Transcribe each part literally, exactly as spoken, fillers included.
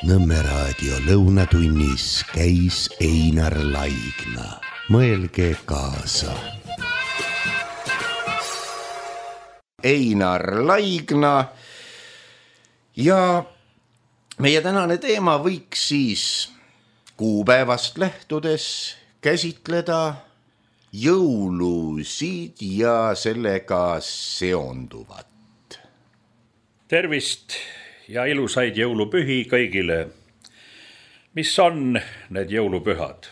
Nõmme raadio lõunatunnis käis Einar Laigna. Mõelge kaasa. Einar Laigna ja meie tänane teema võiks siis kuupäevast lähtudes käsitleda jõulusid ja sellega seonduvat. Tervist ja ilusaid jõulupühi kõigile. Mis on need jõulupühad?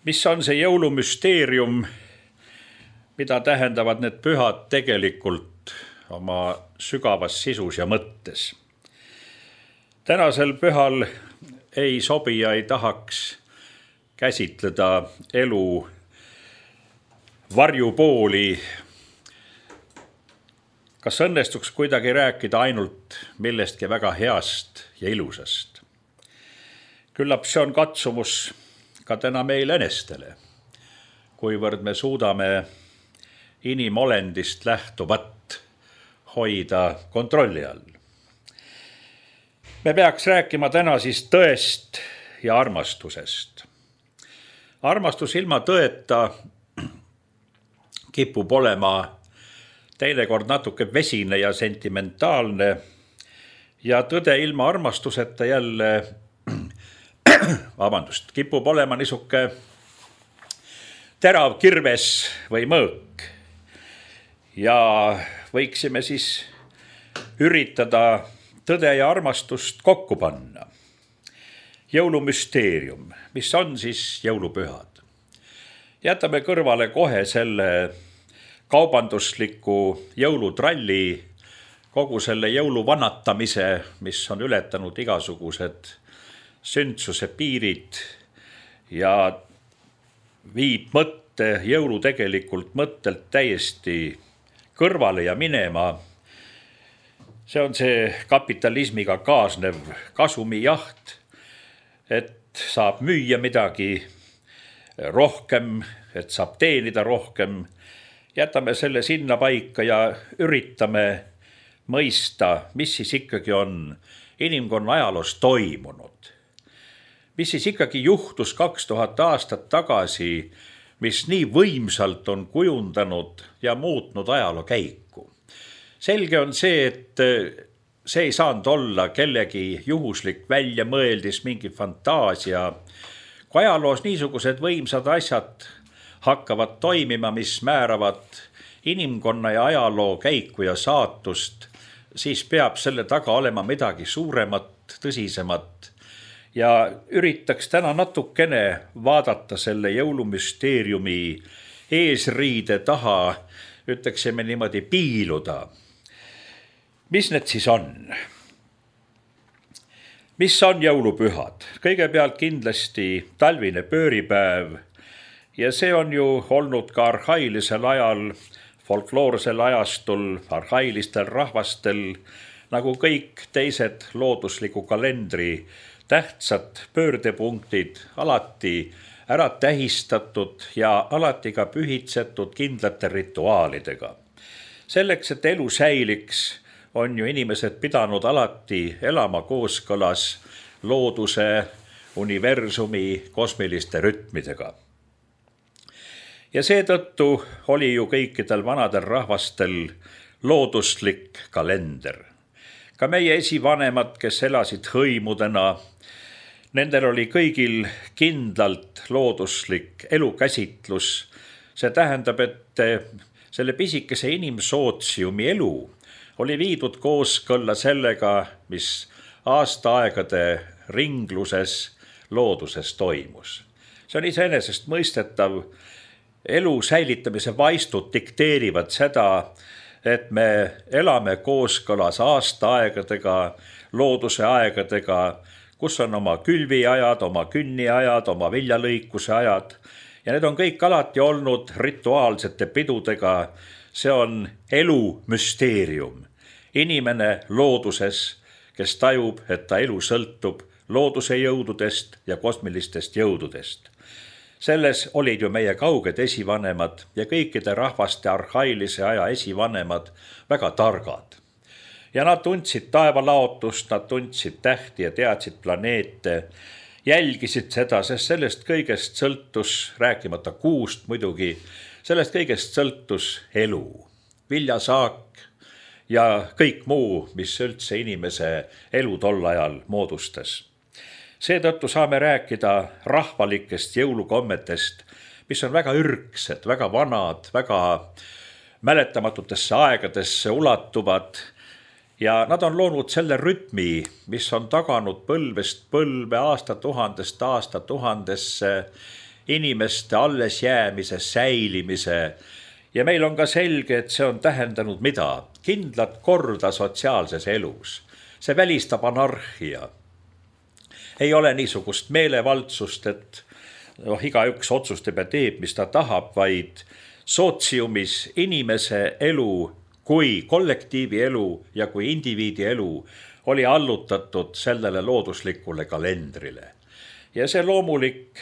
Mis on see jõulumüsteerium, mida tähendavad need pühad tegelikult oma sügavas sisus ja mõttes? Tänasel pühal ei sobi ja ei tahaks käsitleda elu varjupooli. Kas õnnestuks kuidagi rääkida ainult millestki väga heast ja ilusast? Küllap see on katsumus ka täna meil enestele, kuivõrd me suudame inimolendist lähtuvat hoida kontrolli all. Me peaks rääkima täna siis tõest ja armastusest. Armastus ilma tõeta kipub olema teinekord natuke vesine ja sentimentaalne ja tõde ilma armastuseta jälle vabandust, kipub olema niisuke terav kirves või mõõk. Ja võiksime siis üritada tõde ja armastust kokku panna. Jõulumüsteerium, mis on siis jõulupühad? Jätame kõrvale kohe selle kaubandusliku jõulutralli, kogu selle jõuluvannatamise, mis on ületanud igasugused sündsuse piirid ja viib mõtte jõulu tegelikult mõttelt täiesti kõrvale ja minema. See on see kapitalismiga kaasnev kasumijaht, et saab müüa midagi rohkem, et saab teenida rohkem. Jätame selle sinna paika ja üritame mõista, mis siis ikkagi on inimkonna ajaloos toimunud. Mis siis ikkagi juhtus kaks tuhat aastat tagasi, mis nii võimsalt on kujundanud ja muutnud ajaloo käiku. Selge on see, et see ei saanud olla kellegi juhuslik väljamõeldis, mingi fantaasia. Kui ajaloos niisugused võimsad asjad hakkavad toimima, mis määravad inimkonna ja ajaloo käiku ja saatust, siis peab selle taga olema midagi suuremat, tõsisemat. Ja üritaks täna natukene vaadata selle jõulumüsteeriumi eesriide taha, ütleksime niimoodi piiluda. Mis need siis on? Mis on jõulupühad? Kõigepealt kindlasti talvine pööripäev. Ja see on ju olnud ka arhailisel ajal, folkloorsel ajastul, arhailistel rahvastel, nagu kõik teised loodusliku kalendri tähtsad pöördepunktid, alati ära tähistatud ja alati ka pühitsetud kindlate rituaalidega. Selleks, et elu säiliks, on ju inimesed pidanud alati elama kooskõlas looduse, universumi, kosmiliste rütmidega. Ja seetõttu oli ju kõikidel vanadel rahvastel looduslik kalender. Ka meie esivanemad, kes elasid hõimudena, nendel oli kõigil kindlalt looduslik elukäsitlus. See tähendab, et selle pisikese inimsootsiumi elu oli viidud kooskõlla sellega, mis aastaaegade ringluses looduses toimus. See on iseenesest mõistetav. Elu säilitamise vaistud dikteerivad seda, et me elame kooskõlas aastaaegadega, looduse aegadega, kus on oma külviajad, oma künniajad, oma viljalõikuse ajad. Ja need on kõik alati olnud rituaalsete pidudega. See on elu müsteerium. Inimene looduses, kes tajub, et ta elu sõltub looduse jõududest ja kosmilistest jõududest. Selles olid ju meie kauged esivanemad ja kõikide rahvaste arhailise aja esivanemad väga targad. ja nad tundsid taevalaotust, nad tundsid tähti ja teadsid planeete, jälgisid seda, sest sellest kõigest sõltus, rääkimata kuust muidugi, sellest kõigest sõltus elu, viljasaak ja kõik muu, mis üldse inimese elu tol ajal moodustas. Seetõttu saame rääkida rahvalikest jõulukommetest, mis on väga ürgsed, väga vanad, väga mäletamatutesse aegadesse ulatuvad ja nad on loonud selle rütmi, mis on taganud põlvest põlve, aastatuhandest aastatuhandesse inimeste allesjäämise, säilimise ja meil on ka selge, et see on tähendanud mida? Kindlat korda sotsiaalses elus. See välistab anarhia. Ei ole niisugust meelevaldsust, et noh, igaüks otsustab ja teeb, mis ta tahab, vaid sootsiumis inimese elu kui kollektiivi elu ja kui indiviidi elu oli allutatud sellele looduslikule kalendrile. Ja see loomulik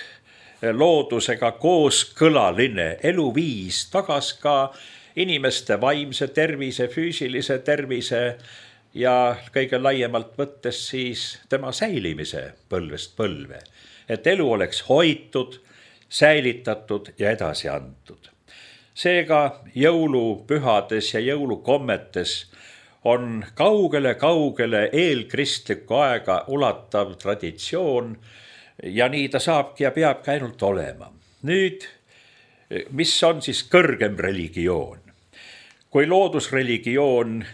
loodusega kooskõlaline eluviis tagas ka inimeste vaimse tervise, füüsilise tervise ja kõige laiemalt võttes siis tema säilimise põlvest põlve. Et elu oleks hoitud, säilitatud ja edasi antud. Seega jõulupühades ja jõulukommetes on kaugele-kaugele eelkristlikku aega ulatav traditsioon ja nii ta saabki ja peabki ainult olema. Nüüd, mis on siis kõrgem religioon? Kui loodusreligioon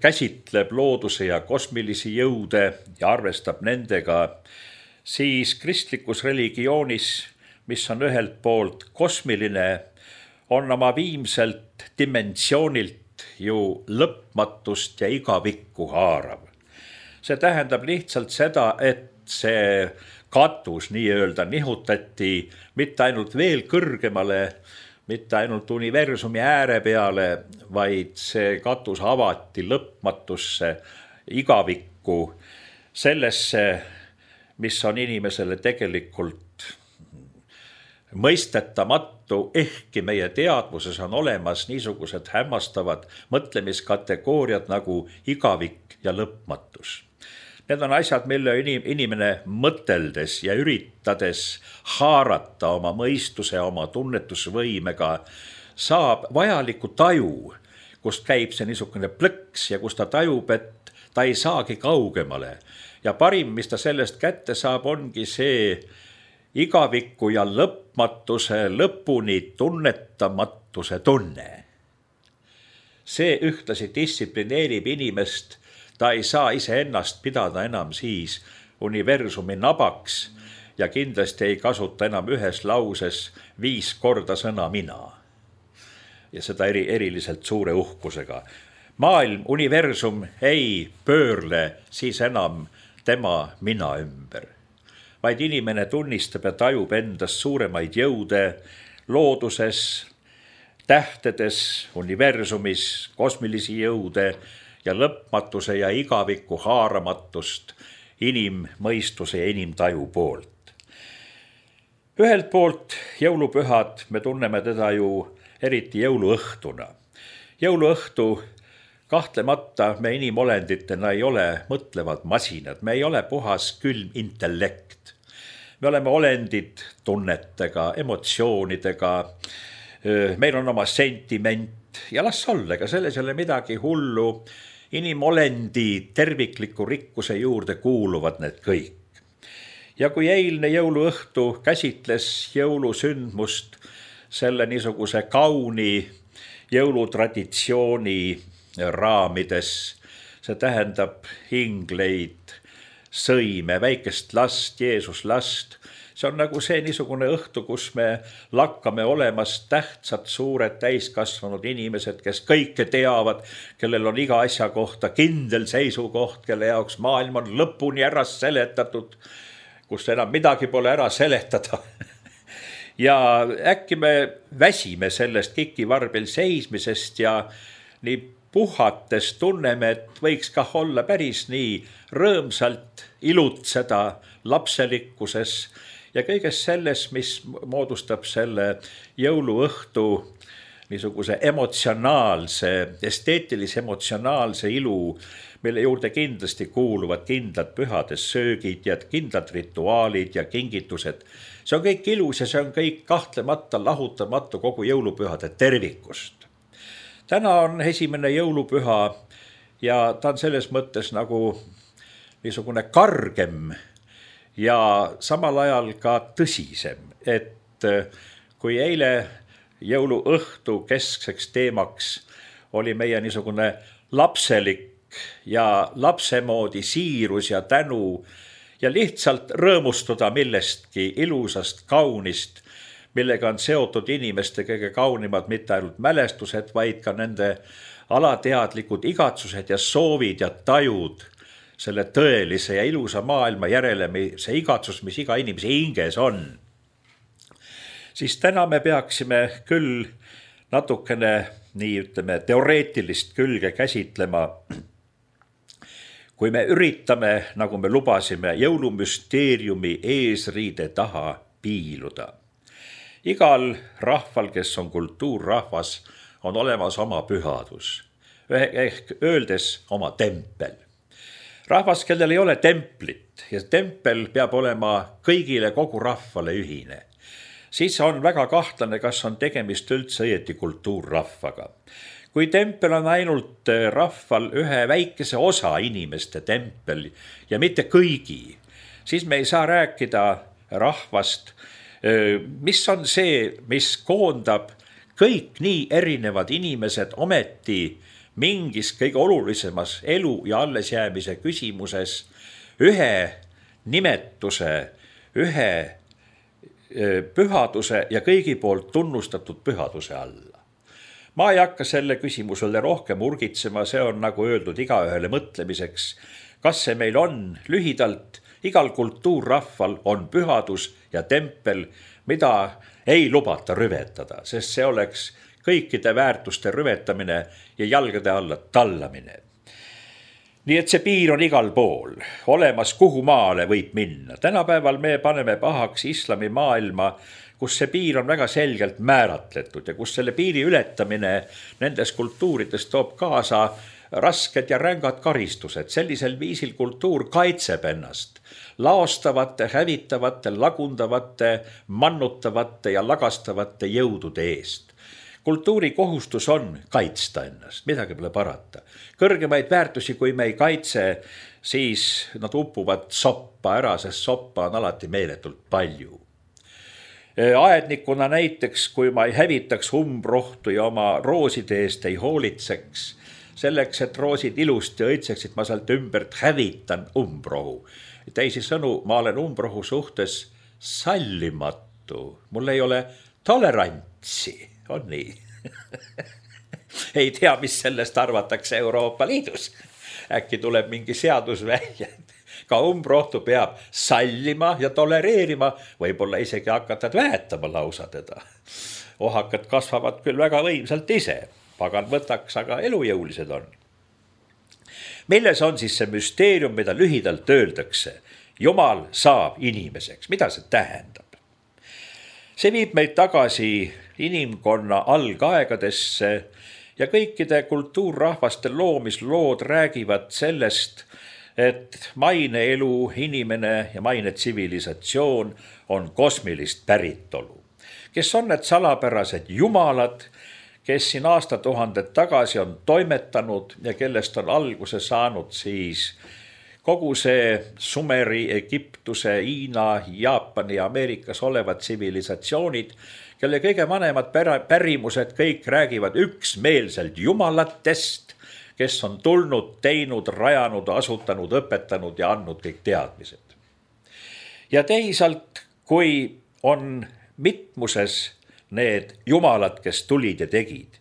käsitleb looduse ja kosmilisi jõude ja arvestab nendega, siis kristlikus religioonis, mis on ühelt poolt kosmiline, on oma viimselt dimensioonilt ju lõpmatust ja igavikku haarav. See tähendab lihtsalt seda, et see katus nii-öelda nihutati mitte ainult veel kõrgemale, mitte ainult universumi ääre peale, vaid see katus avati lõpmatusse, igavikku, sellesse, mis on inimesele tegelikult mõistetamatu, ehkki meie teadvuses on olemas niisugused hämmastavad mõtlemiskategooriad nagu igavik ja lõpmatus. Need on asjad, mille inimene mõteldes ja üritades haarata oma mõistuse, oma tunnetusvõimega, saab vajaliku taju, kust käib see niisugune plõks ja kust ta tajub, et ta ei saagi kaugemale. Ja parim, mis ta sellest kätte saab, ongi see igaviku ja lõpmatuse lõpuni tunnetamatuse tunne. See ühtlasi distsiplineerib inimest. Ta ei saa ise ennast pidada enam siis universumi nabaks ja kindlasti ei kasuta enam ühes lauses viis korda sõna mina. Ja seda eri, eriliselt suure uhkusega. Maailm, universum ei pöörle siis enam tema mina ümber, vaid inimene tunnistab ja tajub endas suuremaid jõude looduses, tähtedes, universumis, kosmilisi jõude ja lõpmatuse ja igaviku haaramatust inimmõistuse ja inimtaju poolt. Ühelt poolt jõulupühad, me tunneme teda ju eriti jõuluõhtuna. Jõuluõhtu kahtlemata me inimolenditena ei ole mõtlevad masinad, me ei ole puhas külm intellekt. Me oleme olendid tunnetega, emotsioonidega, meil on oma sentiment ja las olla, ega selles ei ole midagi hullu. Inimolendi tervikliku rikkuse juurde kuuluvad need kõik. Ja kui eilne jõuluõhtu käsitles jõulusündmust selle niisuguse kauni jõulutraditsiooni raamides, see tähendab hingleid, sõime, väikest last, Jeesus last. See on nagu see niisugune õhtu, kus me lakkame olemas tähtsad, suured, täiskasvanud inimesed, kes kõike teavad, kellel on iga asja kohta kindel seisukoht, kelle jaoks maailm on lõpuni ära seletatud, kus enam midagi pole ära seletada. Ja äkki me väsime sellest kikivarbil seismisest ja nii puhates tunneme, et võiks kah olla päris nii rõõmsalt ilutseda lapselikkuses ja kõiges selles, mis moodustab selle jõuluõhtu niisuguse emotsionaalse, esteetilise emotsionaalse ilu, mille juurde kindlasti kuuluvad kindlad pühade söögid ja kindlad rituaalid ja kingitused. See on kõik ilus ja see on kõik kahtlemata lahutamatu kogu jõulupühade tervikust. Täna on esimene jõulupüha ja ta on selles mõttes nagu niisugune kargem ja samal ajal ka tõsisem, et kui eile jõuluõhtu keskseks teemaks oli meie niisugune lapselik ja lapse moodi siirus ja tänu ja lihtsalt rõõmustada millestki ilusast, kaunist, millega on seotud inimeste kõige kaunimad mitte ainult mälestused, vaid ka nende alateadlikud igatsused ja soovid ja tajud selle tõelise ja ilusa maailma järele, see igatsus, mis iga inimese hinges on. Siis täna me peaksime küll natukene nii ütleme teoreetilist külge käsitlema, kui me üritame, nagu me lubasime, jõulumüsteeriumi eesriide taha piiluda. Igal rahval, kes on kultuurrahvas, on olemas oma pühadus, ehk öeldes oma tempel. Rahvas, kellel ei ole templit ja tempel peab olema kõigile kogu rahvale ühine, siis on väga kahtlane, kas on tegemist üldse õieti kultuurrahvaga. Kui tempel on ainult rahval ühe väikese osa inimeste tempel ja mitte kõigi, siis me ei saa rääkida rahvast, mis on see, mis koondab kõik nii erinevad inimesed ometi mingis kõige olulisemas elu ja allesjäämise küsimuses ühe nimetuse, ühe pühaduse ja kõigi poolt tunnustatud pühaduse alla. Ma ei hakka selle küsimusele rohkem urgitsema, see on nagu öeldud igaühele mõtlemiseks. Kas see meil on? Lühidalt, igal kultuurrahval on pühadus ja tempel, mida ei lubata rüvetada, sest see oleks kõikide väärtuste rüvetamine ja jalgade alla tallamine. Nii et see piir on igal pool, olemas kuhu maale võib minna. Tänapäeval me paneme pahaks islami maailma, kus see piir on väga selgelt määratletud ja kus selle piiri ületamine nendes kultuurides toob kaasa rasked ja rängad karistused. Sellisel viisil kultuur kaitseb ennast laostavate, hävitavate, lagundavate, mannutavate ja lagastavate jõudude eest. Kultuuri kohustus on kaitsta ennast, midagi pole parata. Kõrgemaid väärtusi, kui me ei kaitse, siis nad upuvad soppa ära, sest soppa on alati meeletult palju. Aednikuna näiteks, kui ma ei hävitaks umbrohtu ja oma rooside eest ei hoolitseks, selleks, et roosid ilusti õitseksid, ma sealt ümbert hävitan umbrohu. Teisisõnu, ma olen umbrohu suhtes sallimatu, mul ei ole tolerantsi, on nii. Ei tea, mis sellest arvatakse Euroopa Liidus. Äkki tuleb mingi seadus välja. Ka umbrohtu peab sallima ja tolereerima, võib-olla isegi hakatad väetama lausa teda. Ohakad kasvavad küll väga võimsalt ise, pagan võtaks, aga elujõulised on. Milles on siis see müsteerium, mida lühidalt öeldakse? Jumal saab inimeseks. Mida see tähendab? See viib meid tagasi inimkonna algaegadesse ja kõikide kultuurrahvaste loomislood räägivad sellest, et maine elu, inimene ja maine tsivilisatsioon on kosmilist päritolu. Kes on need salapärased jumalad, kes siin aastatuhanded tagasi on toimetanud ja kellest on alguse saanud siis kogu see Sumeri, Egiptuse, Hiina, Jaapani ja Ameerikas olevad tsivilisatsioonid, kelle kõige vanemad pärimused kõik räägivad üksmeelselt jumalatest, kes on tulnud, teinud, rajanud, asutanud, õpetanud ja andnud kõik teadmised. Ja teisalt, kui on mitmuses need jumalad, kes tulid ja tegid,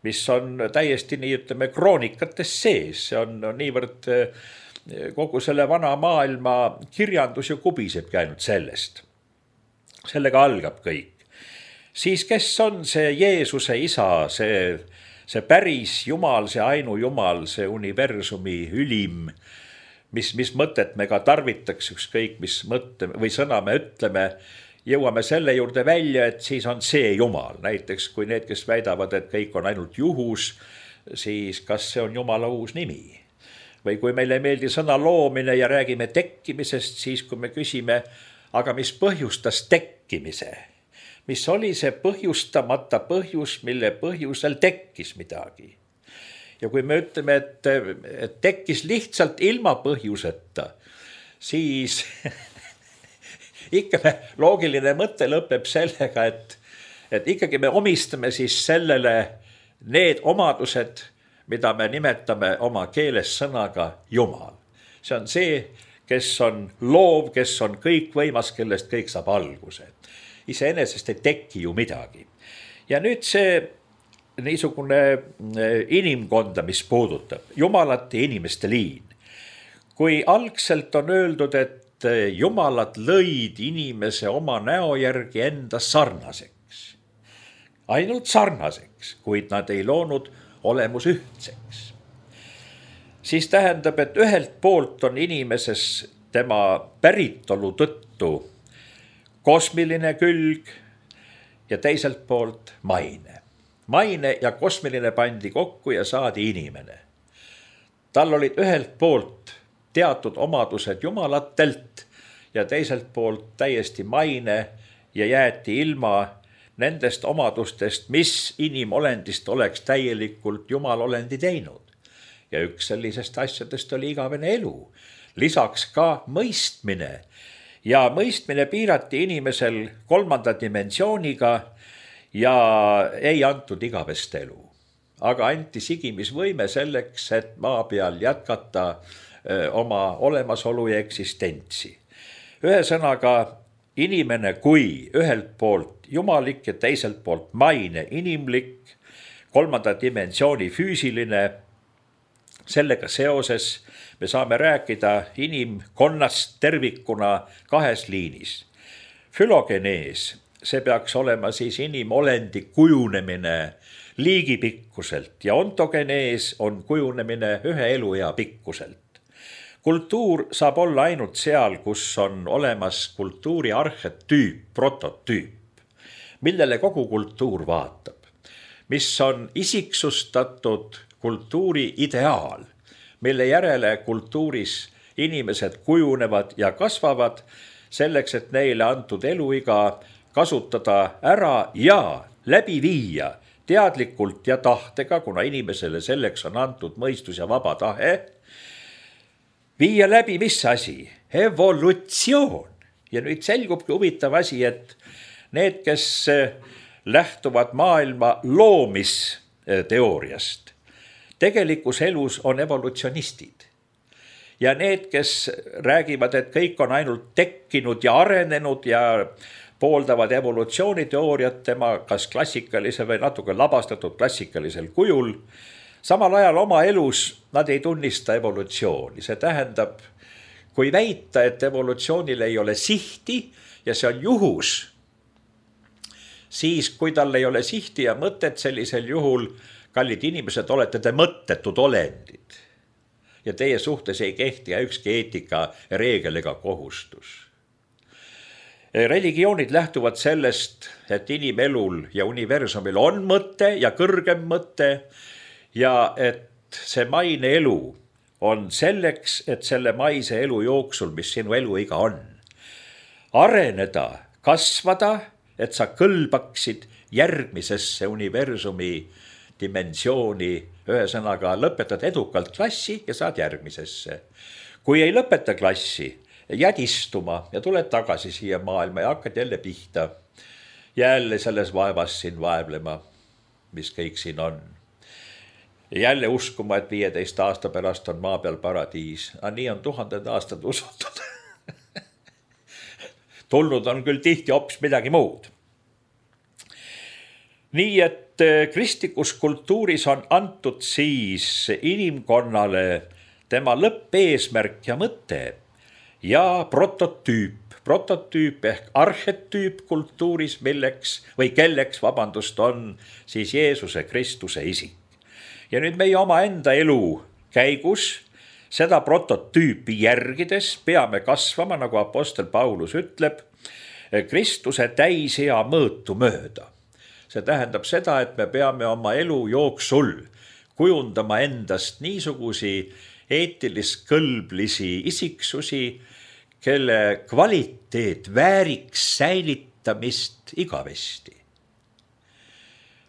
mis on täiesti nii ütleme kroonikates sees, see on, on niivõrd kogu selle vana maailma kirjandus ju kubisebki ainult sellest. Sellega algab kõik. Siis kes on see Jeesuse isa, see See päris jumal, see ainu jumal, see universumi ülim, mis, mis mõtet me ka tarvitaks ükskõik, mis mõtte või sõna me ütleme jõuame selle juurde välja, et siis on see Jumal. Näiteks kui need, kes väidavad, et kõik on ainult juhus, siis kas see on Jumala uus nimi? Või kui meile ei meeldi sõna loomine ja räägime tekkimisest, siis kui me küsime, aga mis põhjustas tekkimise? Mis oli see põhjustamata põhjus, mille põhjusel tekkis midagi? Ja kui me ütleme, et, et tekkis lihtsalt ilma põhjuseta, siis ikka me loogiline mõte lõpeb sellega, et, et ikkagi me omistame siis sellele need omadused, mida me nimetame oma keeles sõnaga Jumal. See on see, kes on loov, kes on kõikvõimas, kellest kõik saab alguse. Iseenesest ei teki ju midagi. Ja nüüd see niisugune inimkonda, mis puudutab Jumalat ja inimeste liin. Kui algselt on öeldud, et Jumalad lõid inimese oma näo järgi enda sarnaseks, ainult sarnaseks, kuid nad ei loonud olemus ühtseks, siis tähendab, et ühelt poolt on inimeses tema päritolu tõttu kosmiline külg ja teiselt poolt maine. Maine ja kosmiline pandi kokku ja saadi inimene. Tal olid ühelt poolt teatud omadused jumalatelt ja teiselt poolt täiesti maine ja jäeti ilma nendest omadustest, mis inimolendist oleks täielikult jumalolendi teinud. Ja üks sellisest asjadest oli igavene elu, lisaks ka mõistmine. Ja mõistmine piirati inimesel kolmanda dimensiooniga ja ei antud igavest elu. Aga anti sigimisvõime selleks, et maa peal jätkata oma olemasolu ja eksistentsi. Ühesõnaga, inimene kui ühelt poolt jumalik ja teiselt poolt maine inimlik, kolmanda dimensiooni füüsiline, sellega seoses me saame rääkida inimkonnast tervikuna kahes liinis. Fülogenees, see peaks olema siis inimolendi kujunemine liigipikkuselt ja ontogenees on kujunemine ühe eluea pikkuselt. Kultuur saab olla ainult seal, kus on olemas kultuuri arhetüüp, prototüüp, millele kogu kultuur vaatab, mis on isiksustatud kultuuri ideaal, mille järele kultuuris inimesed kujunevad ja kasvavad selleks, et neile antud eluiga kasutada ära ja läbi viia teadlikult ja tahtega, kuna inimesele selleks on antud mõistus ja vaba tahe, viia läbi mis asi? Evolutsioon. Ja nüüd selgubki huvitav asi, et need, kes lähtuvad maailma loomisteooriast, tegelikus elus on evolutsionistid. Ja need, kes räägivad, et kõik on ainult tekkinud ja arenenud ja pooldavad evolutsiooniteooriat tema kas klassikalise või natuke labastatud klassikalisel kujul, samal ajal oma elus nad ei tunnista evolutsiooni. See tähendab, kui väita, et evolutsioonil ei ole sihti ja see on juhus, siis kui tal ei ole sihti ja mõtet, sellisel juhul, kallid inimesed, olete te mõttetud olendid. Ja teie suhtes ei kehti ükski eetika reegel ega kohustus. Religioonid lähtuvad sellest, et inimelul ja universumil on mõte ja kõrgem mõte ja et see maine elu on selleks, et selle maise elu jooksul, mis sinu eluiga on, areneda, kasvada, et sa kõlbaksid järgmisesse universumi dimensiooni, ühesõnaga lõpetad edukalt klassi ja saad järgmisesse. Kui ei lõpeta klassi, jääd istuma ja tuled tagasi siia maailma ja hakkad jälle pihta. Jälle selles vaevas siin vaevlema, mis kõik siin on. Jälle uskuma, et viieteist aasta pärast on maa peal paradiis. A nii on tuhanded aastad usutud. Tulnud on küll tihti hoopis midagi muud. Nii et kristlikus kultuuris on antud siis inimkonnale tema lõppeesmärk ja mõte ja prototüüp. Prototüüp ehk arhetüüp kultuuris, milleks või kelleks, vabandust, on siis Jeesuse Kristuse isik. Ja nüüd meie oma enda elu käigus seda prototüüpi järgides peame kasvama, nagu apostel Paulus ütleb, Kristuse täisea mõõtu mööda. See tähendab seda, et me peame oma elu jooksul kujundama endast niisugusi eetilist kõlblisi isiksusi, kelle kvaliteet vääriks säilitamist igavesti.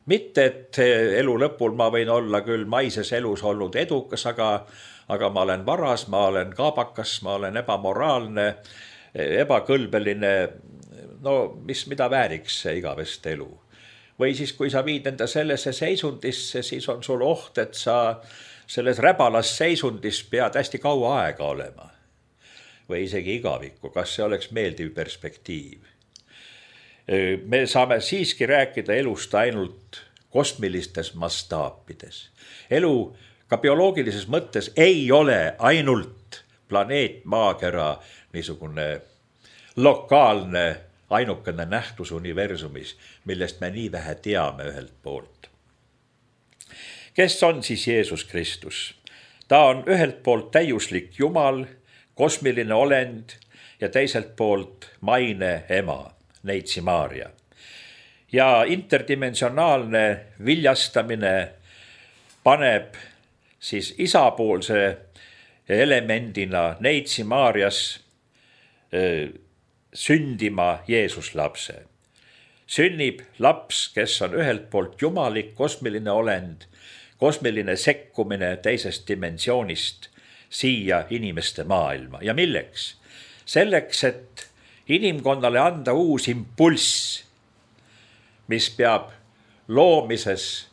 Mitte, et elu lõpul ma võin olla küll maises elus olnud edukas, aga, aga ma olen varas, ma olen kaabakas, ma olen ebamoraalne, ebakõlbeline, no mis, mida vääriks see igavest elu. Või siis, kui sa viid enda sellesse seisundisse, siis on sul oht, et sa selles räbalas seisundis pead hästi kaua aega olema. Või isegi igavikku, kas see oleks meeldiv perspektiiv. Me saame siiski rääkida elust ainult kosmilistes mastaapides. Elu ka bioloogilises mõttes ei ole ainult planeet Maakera niisugune lokaalne ainukene nähtus universumis, millest me nii vähe teame ühelt poolt. Kes on siis Jeesus Kristus? Ta on ühelt poolt täiuslik Jumal, kosmiline olend ja teiselt poolt maine ema, Neitsi Maarja. Ja interdimensionaalne viljastamine paneb siis isapoolse elemendina Neitsi Maarjas sündima Jeesus lapse. Sünnib laps, kes on ühelt poolt jumalik, kosmiline olend, kosmiline sekkumine teisest dimensioonist siia inimeste maailma. Ja milleks? Selleks, et inimkonnale anda uus impulss, mis peab loomises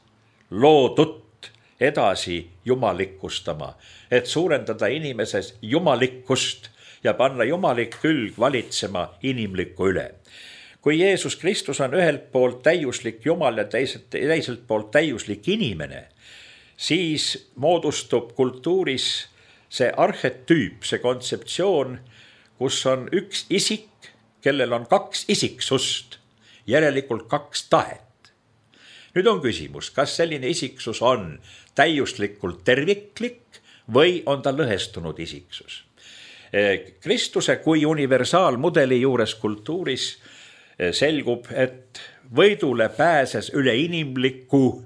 loodut edasi jumalikustama, et suurendada inimeses jumalikkust ja panna jumalik külg valitsema inimlikku üle. Kui Jeesus Kristus on ühelt poolt täiuslik Jumal ja teiselt, teiselt poolt täiuslik inimene, siis moodustub kultuuris see arhetüüp, see kontseptsioon, kus on üks isik, kellel on kaks isiksust, järelikult kaks tahet. Nüüd on küsimus, kas selline isiksus on täiuslikult terviklik või on ta lõhestunud isiksus. Kristuse kui universaalmudeli juures kultuuris selgub, et võidule pääses üle inimliku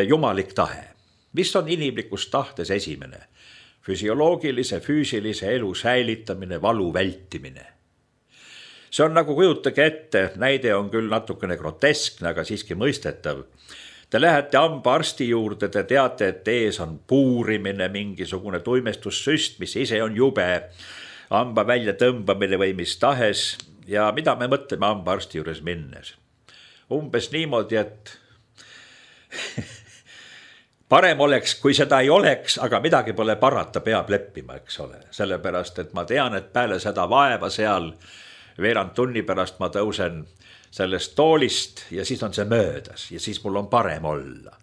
jumalik tahe. Mis on inimlikus tahtes esimene? Füsioloogilise, füüsilise elu säilitamine, valu vältimine. See on nagu kujutage ette, näide on küll natukene groteskne, aga siiski mõistetav. Te lähete hambaarsti juurde, te teate, et ees on puurimine, mingisugune tuimestussüst, mis ise on jube, hamba välja tõmbamine või mis tahes. Ja mida me mõtleme hambaarsti juures minnes? Umbes niimoodi, et parem oleks, kui seda ei oleks, aga midagi pole parata, peab leppima, eks ole. Sellepärast, et ma tean, et peale seda vaeva seal veerand tunni pärast ma tõusen sellest toolist ja siis on see möödas ja siis mul on parem olla.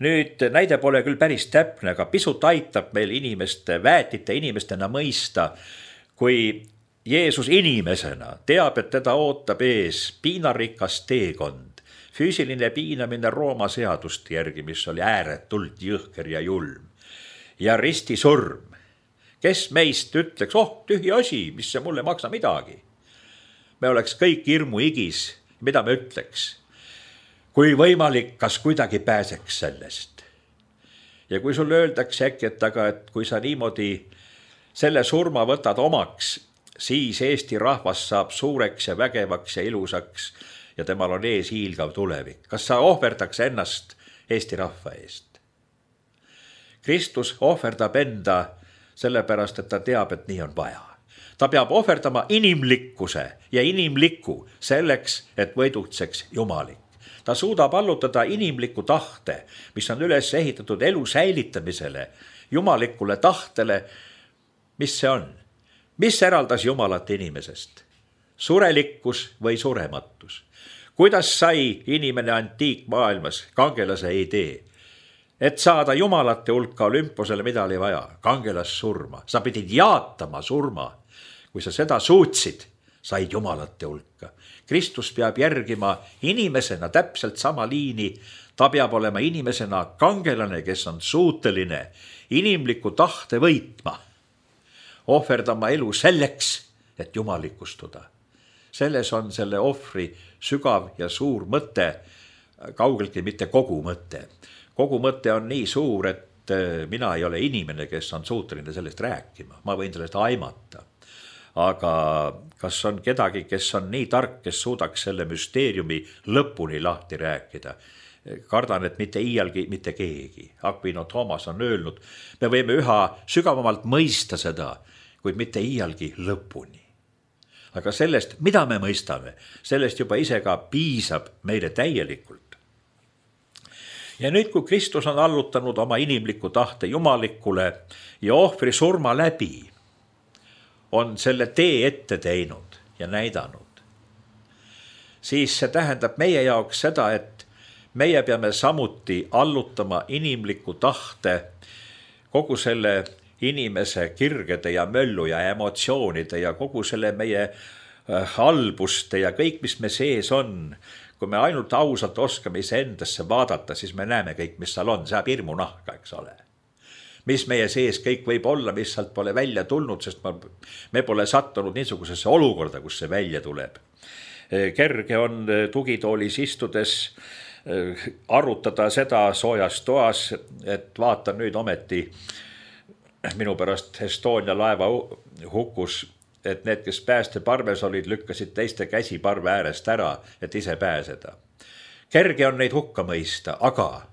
Nüüd näide pole küll päris täpne, aga pisut aitab meil inimeste, väetite inimestena mõista, kui Jeesus inimesena teab, et teda ootab ees piinarikas teekond, füüsiline piinamine Rooma seadust järgi, mis oli ääretult jõhker ja julm, ja ristisurm. Kes meist ütleks, oh, tühi asi, mis see mulle maksa midagi? Me oleks kõik hirmu igis, mida me ütleks? Kui võimalik, kas kuidagi pääseks sellest? Ja kui sulle öeldakse äkki, et aga, et kui sa niimoodi selle surma võtad omaks, siis Eesti rahvas saab suureks ja vägevaks ja ilusaks ja temal on ees hiilgav tulevik. Kas sa ohverdaks ennast Eesti rahva eest? Kristus ohverdab enda sellepärast, et ta teab, et nii on vaja. Ta peab ohverdama inimlikkuse ja inimlikku selleks, et võidutseks jumalik. Ta suudab allutada inimliku tahte, mis on üles ehitatud elu säilitamisele, jumalikule tahtele. Mis see on? Mis eraldas Jumalat inimesest? Surelikkus või surematus? Kuidas sai inimene antiikmaailmas kangelase idee? Et saada jumalate hulka Olümposele, mida oli vaja? Kangelas surma. Sa pidid jaatama surma. Kui sa seda suutsid, said jumalate hulka. Kristus peab järgima inimesena täpselt sama liini. Ta peab olema inimesena kangelane, kes on suuteline inimliku tahte võitma. Ohverdama elu selleks, et jumalikustuda. selles on selle ohvri sügav ja suur mõte, kaugeltki mitte kogu mõte. Kogu mõte on nii suur, et mina ei ole inimene, kes on suuteline sellest rääkima. Ma võin sellest aimata. Aga kas on kedagi, kes on nii tark, kes suudaks selle müsteeriumi lõpuni lahti rääkida? Kardan, et mitte iialgi, mitte keegi. Aquino Thomas on öelnud, me võime üha sügavamalt mõista seda, kuid mitte iialgi lõpuni. Aga sellest, mida me mõistame, sellest juba ise ka piisab meile täielikult. Ja nüüd, kui Kristus on allutanud oma inimliku tahte jumalikule ja ohvri surma läbi, on selle tee ette teinud ja näidanud, siis see tähendab meie jaoks seda, et meie peame samuti allutama inimliku tahte kogu selle inimese kirgede ja möllu ja emotsioonide ja kogu selle meie halbuste ja kõik, mis me sees on. Kui me ainult ausalt oskame iseendasse vaadata, siis me näeme kõik, mis seal on, saab hirmu nahka, eks ole. Mis meie sees kõik võib olla, mis sealt pole välja tulnud, sest me pole sattunud niisugusesse olukorda, kus see välja tuleb. Kerge on tugitoolis istudes arutada seda soojas toas, et vaata nüüd ometi minu pärast Estonia laeva hukkus, et need, kes päästeparves olid, lükkasid teiste käsi parve äärest ära, et ise pääseda. Kerge on neid hukka mõista, aga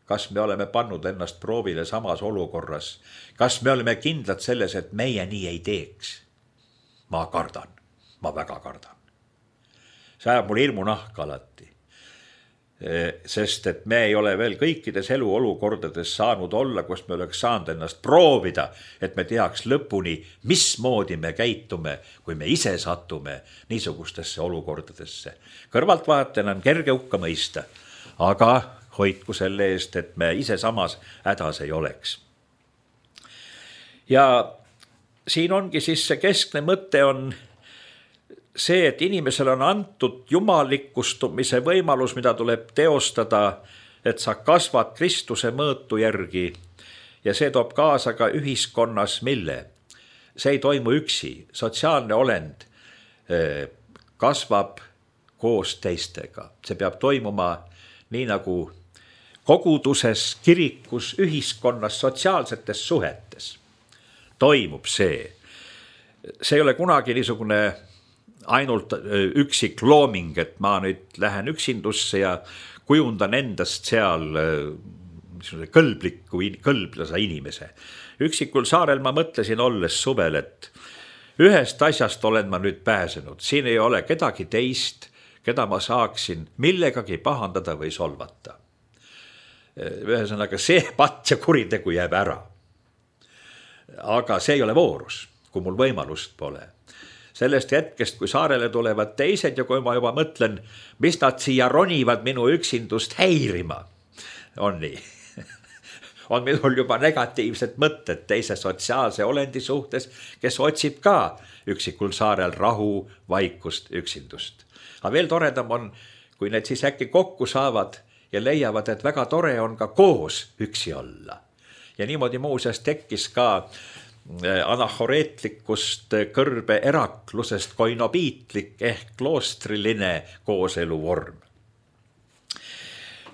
kas me oleme pannud ennast proovile samas olukorras? Kas me oleme kindlad selles, et meie nii ei teeks? Ma kardan, ma väga kardan. See ajab mul hirmu nahka alati. Sest et me ei ole veel kõikides eluolukordades saanud olla, kus me oleks saanud ennast proovida, et me teaks lõpuni, mismoodi me käitume, kui me ise satume niisugustesse olukordadesse. Kõrvaltvaatajana on kerge hukka mõista, aga hoidku selle eest, et me ise samas hädas ei oleks. Ja siin ongi siis see keskne mõte on see, et inimesel on antud jumalikustumise võimalus, mida tuleb teostada, et sa kasvad Kristuse mõõtu järgi ja see toob kaasa ka ühiskonnas mille. See ei toimu üksi, sotsiaalne olend kasvab koos teistega. See peab toimuma nii nagu koguduses, kirikus, ühiskonnas, sotsiaalsetes suhetes. Toimub see. See ei ole kunagi niisugune ainult üksik looming, et ma nüüd lähen üksindusse ja kujundan endast seal kõlbliku, kõlblasa inimese. Üksikul saarel ma mõtlesin olles suvel, et ühest asjast olen ma nüüd pääsenud. Siin ei ole kedagi teist, keda ma saaksin millegagi pahandada või solvata. Ühesõnaga, see patt ja kuritegu jääb ära. Aga see ei ole voorus, kui mul võimalust pole. Sellest hetkest, kui saarele tulevad teised ja kui ma juba mõtlen, mis nad siia ronivad minu üksindust häirima, on nii. On minul juba negatiivsed mõtted teise sotsiaalse olendi suhtes, kes otsib ka üksikul saarel rahu, vaikust, üksindust. Aga veel toredam on, kui need siis äkki kokku saavad ja leiavad, et väga tore on ka koos üksi olla. Ja niimoodi muuseas tekkis ka anahoreetlikust kõrbe eraklusest koinobiitlik ehk kloostriline kooselu vorm.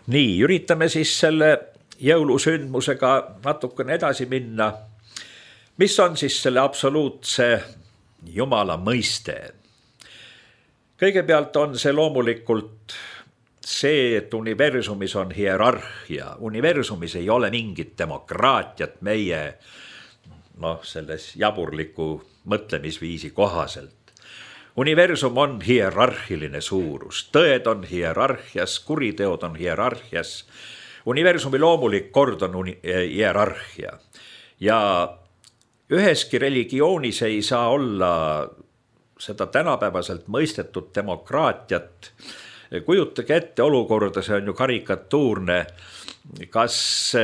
Nii, üritame siis selle jõulusündmusega natukene edasi minna. Mis on siis selle absoluutse Jumala mõiste? Kõigepealt on see loomulikult see, et universumis on hierarhia. Universumis ei ole mingit demokraatiat meie noh, selles jaburliku mõtlemisviisi kohaselt. Universum on hierarhiline suurus, tõed on hierarhias, kuriteod on hierarhias. Universumi loomulik kord on uni- hierarhia. Ja üheski religioonis ei saa olla seda tänapäevaselt mõistetud demokraatiat. Kujutage ette olukorda, see on ju karikatuurne, kas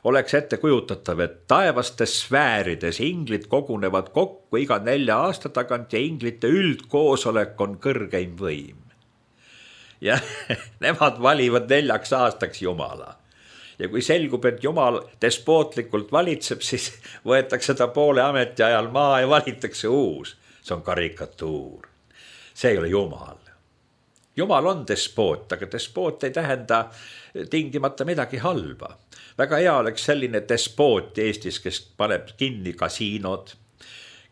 oleks ette kujutatav, et taevastes sfäärides inglid kogunevad kokku iga nelja aasta tagant ja inglite üldkoosolek on kõrgeim võim. Ja nemad valivad neljaks aastaks Jumala. Ja kui selgub, et Jumal despootlikult valitseb, siis võetakse ta poole ametiajal maa ja valitakse uus. See on karikatuur. see ei ole Jumal. Jumal on despoot, aga despoot ei tähenda tingimata midagi halba. Väga hea oleks selline despoot Eestis, kes paneb kinni kasiinod,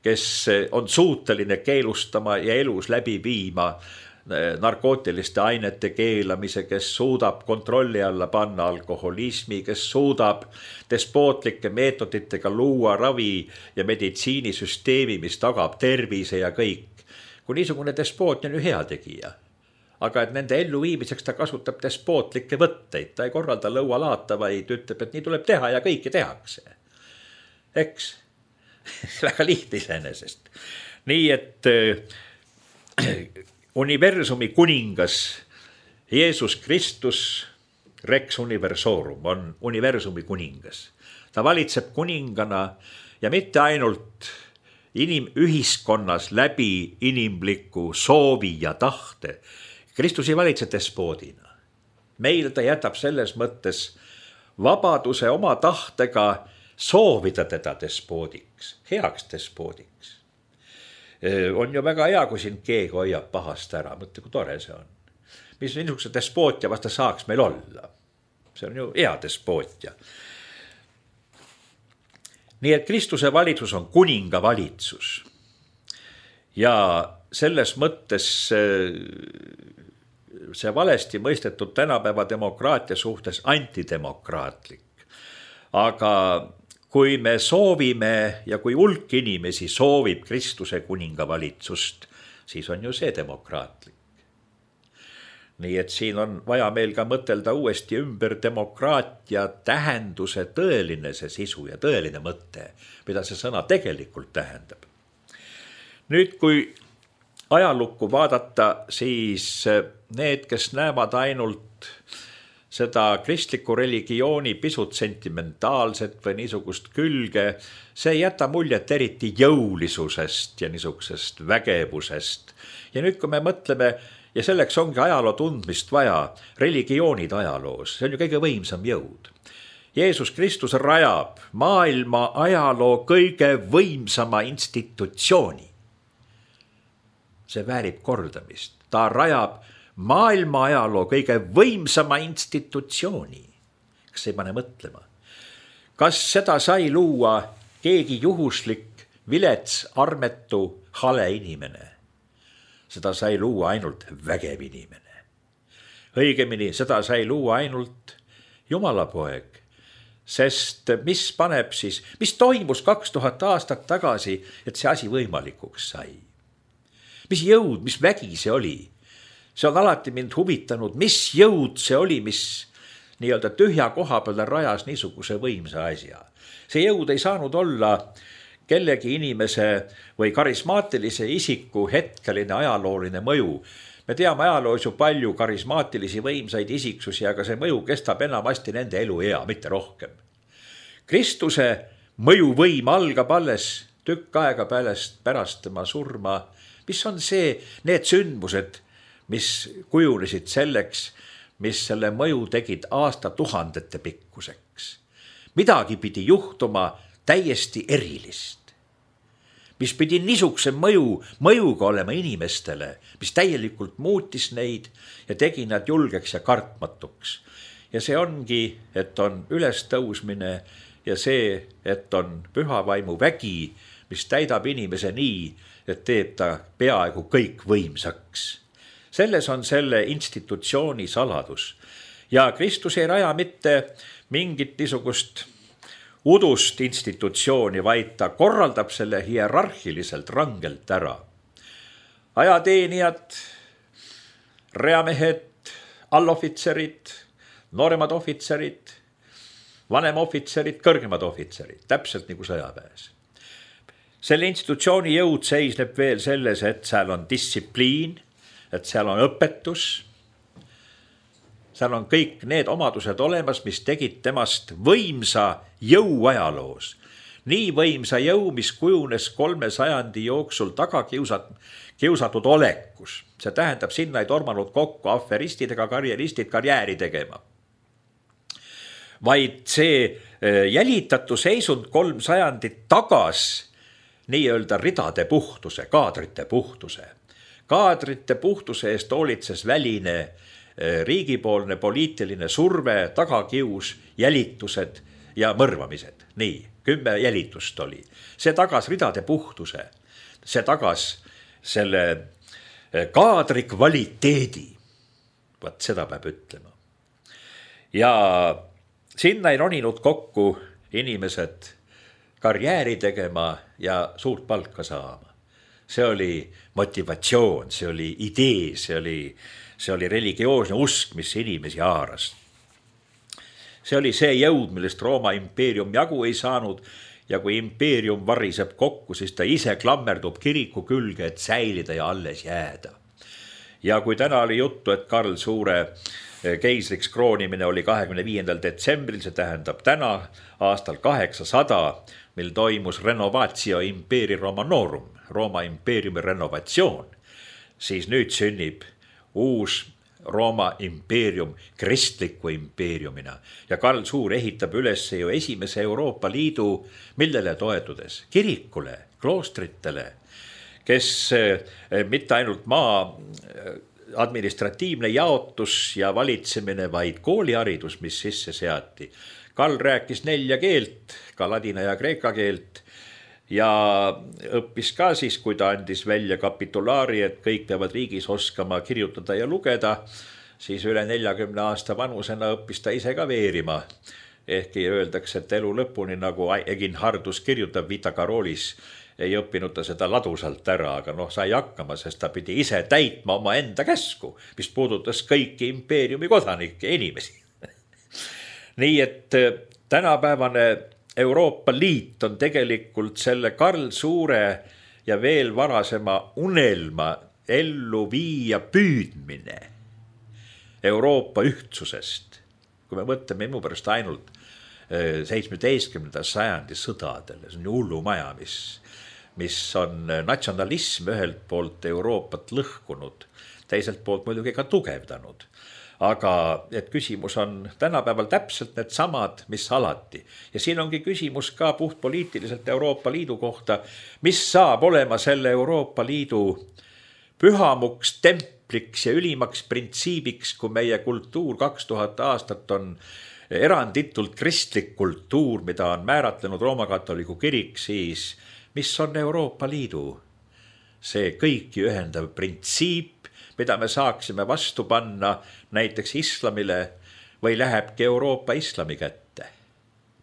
kes on suuteline keelustama ja elus läbi viima narkootiliste ainete keelamise, kes suudab kontrolli alla panna alkoholismi, kes suudab despootlike meetoditega luua ravi ja meditsiinisüsteemi, mis tagab tervise ja kõik. Kui niisugune despoot on ju heategija. Aga et nende elluviimiseks ta kasutab despootlikke võtteid, ta ei korralda lõualaata, vaid ütleb, et nii tuleb teha ja kõike tehakse. Eks? Väga lihtne iseenesest. Nii et universumi kuningas Jeesus Kristus Rex Universorum on universumi kuningas. Ta valitseb kuningana ja mitte ainult inimühiskonnas läbi inimliku soovi ja tahte. Kristus ei valitse despoodina. Meil ta jätab selles mõttes vabaduse oma tahtega soovida teda despoodiks, heaks despoodiks. On ju väga hea, kui siin keegi hoiab pahast ära, mõtle, kui tore see on. Mis niisuguse despootia vasta saaks meil olla? See on ju hea despootia. Nii et Kristuse valitsus on kuninga valitsus. Ja selles mõttes see valesti mõistetud tänapäeva demokraatia suhtes antidemokraatlik. Aga kui me soovime ja kui hulk inimesi soovib Kristuse kuninga valitsust, siis on ju see demokraatlik. Nii et siin on vaja meil ka mõtelda uuesti ümber demokraatia tähenduse tõeline see sisu ja tõeline mõte, mida see sõna tegelikult tähendab. Nüüd, kui ajalukku vaadata, siis need, kes näevad ainult seda kristliku religiooni pisut sentimentaalset või niisugust külge, see ei jäta muljet eriti jõulisusest ja niisugusest vägevusest. Ja nüüd, kui me mõtleme, ja selleks ongi ajaloo tundmist vaja, religioonid ajaloos, see on ju kõige võimsam jõud. Jeesus Kristus rajab maailma ajaloo kõige võimsama institutsiooni. See väärib kordamist. Ta rajab maailma ajaloo kõige võimsama institutsiooni. Kas ei pane mõtlema? Kas seda sai luua keegi juhuslik, vilets, armetu, hale inimene? Seda sai luua ainult vägev inimene. Õigemini, seda sai luua ainult Jumala poeg. Sest mis paneb siis, mis toimus kaks tuhat aastat tagasi, et see asi võimalikuks sai? Mis jõud, mis vägi see oli? See on alati mind huvitanud, mis jõud see oli, mis nii-öelda tühja koha peale rajas niisuguse võimsa asja. See jõud ei saanud olla kellegi inimese või karismaatilise isiku hetkeline ajalooline mõju. Me teame ajaloos ju palju karismaatilisi võimsaid isiksusi, aga see mõju kestab enamasti nende eluea, mitte rohkem. Kristuse mõjuvõim algab alles tükk aega pärast, pärast tema surma. Mis on see, need sündmused, mis kujunesid selleks, mis selle mõju tegid aasta tuhandete pikkuseks. Midagi pidi juhtuma täiesti erilist. Mis pidi niisuguse mõju, mõjuga olema inimestele, mis täielikult muutis neid ja tegi nad julgeks ja kartmatuks. Ja see ongi, et on ülestõusmine ja see, et on püha vaimu vägi, mis täidab inimese nii, et teeb ta peaaegu kõik võimsaks. Selles on selle institutsiooni saladus. Ja Kristus ei raja mitte mingit niisugust udust institutsiooni, vaid ta korraldab selle hierarhiliselt rangelt ära. Ajateenijad, reamehed, allohvitserid, nooremad ohvitserid, vanemohvitserid, kõrgemad ohvitserid, täpselt nagu sõjaväes. Selle institutsiooni jõud seisneb veel selles, et seal on distsipliin, et seal on õpetus, seal on kõik need omadused olemas, mis tegid temast võimsa jõu ajaloos. Nii võimsa jõu, mis kujunes kolme sajandi jooksul taga kiusat, kiusatud olekus. See tähendab, sinna ei tormanud kokku aferistid ega karjeristid karjääri tegema. Vaid see jälitatu seisund kolm sajandit tagas nii-öelda ridade puhtuse, kaadrite puhtuse. kaadrite puhtuse eest hoolitses väline riigipoolne poliitiline surve, tagakius, jälitused ja mõrvamised. Nii, kümme jälitust oli. See tagas ridade puhtuse, see tagas selle kaadri kvaliteedi. Vaat seda peab ütlema. Ja sinna ei roninud kokku inimesed karjääri tegema ja suurt palka saama. See oli motivatsioon, see oli idee, see oli, see oli religioosne usk, mis inimesi haaras. See oli see jõud, millest Rooma impeerium jagu ei saanud ja kui impeerium variseb kokku, siis ta ise klammerdub kiriku külge, et säilida ja alles jääda. Ja kui täna oli juttu, et Karl Suure keisriks kroonimine oli kahekümne viiendal detsembril, see tähendab täna aastal kaheksasada, mil toimus renovatio imperii Romanorum, Rooma impeeriumi renovatsioon, siis nüüd sünnib uus Rooma impeerium kristliku impeeriumina ja Karl Suur ehitab üles ju esimese Euroopa Liidu, millele toetudes kirikule, kloostritele, kes mitte ainult maa administratiivne jaotus ja valitsemine, vaid kooliharidus, mis sisse seati. Karl rääkis nelja keelt, ka ladina ja kreeka keelt ja õppis ka siis, kui ta andis välja kapitulaari, et kõik peavad riigis oskama kirjutada ja lugeda, siis üle neljakümne aasta vanusena õppis ta ise ka veerima. Ehkki öeldakse, et elu lõpuni, nagu Egin Hardus kirjutab Vita Karolis, ei õppinud ta seda ladusalt ära, aga noh, sai hakkama, sest ta pidi ise täitma oma enda käsku, mis puudutas kõiki impeeriumi kodanikke ja inimesi. Nii et tänapäevane Euroopa Liit on tegelikult selle Karl Suure ja veel varasema unelma ellu viia püüdmine Euroopa ühtsusest. Kui me mõtleme minu pärast ainult seitsmeteistkümnenda sajandi sõdadele, see on hullumaja, mis, mis on natsionalism ühelt poolt Euroopat lõhkunud, teiselt poolt muidugi ka tugevdanud. Aga et küsimus on tänapäeval täpselt need samad, mis alati. Ja siin ongi küsimus ka puhtpoliitiliselt Euroopa Liidu kohta, mis saab olema selle Euroopa Liidu pühamuks, templiks ja ülimaks printsiibiks, kui meie kultuur kaks tuhat aastat on eranditult kristlik kultuur, mida on määratlenud Rooma katoliku kirik, siis mis on Euroopa Liidu? See kõiki ühendav printsiip, mida me saaksime vastu panna näiteks islamile või lähebki Euroopa islami kätte.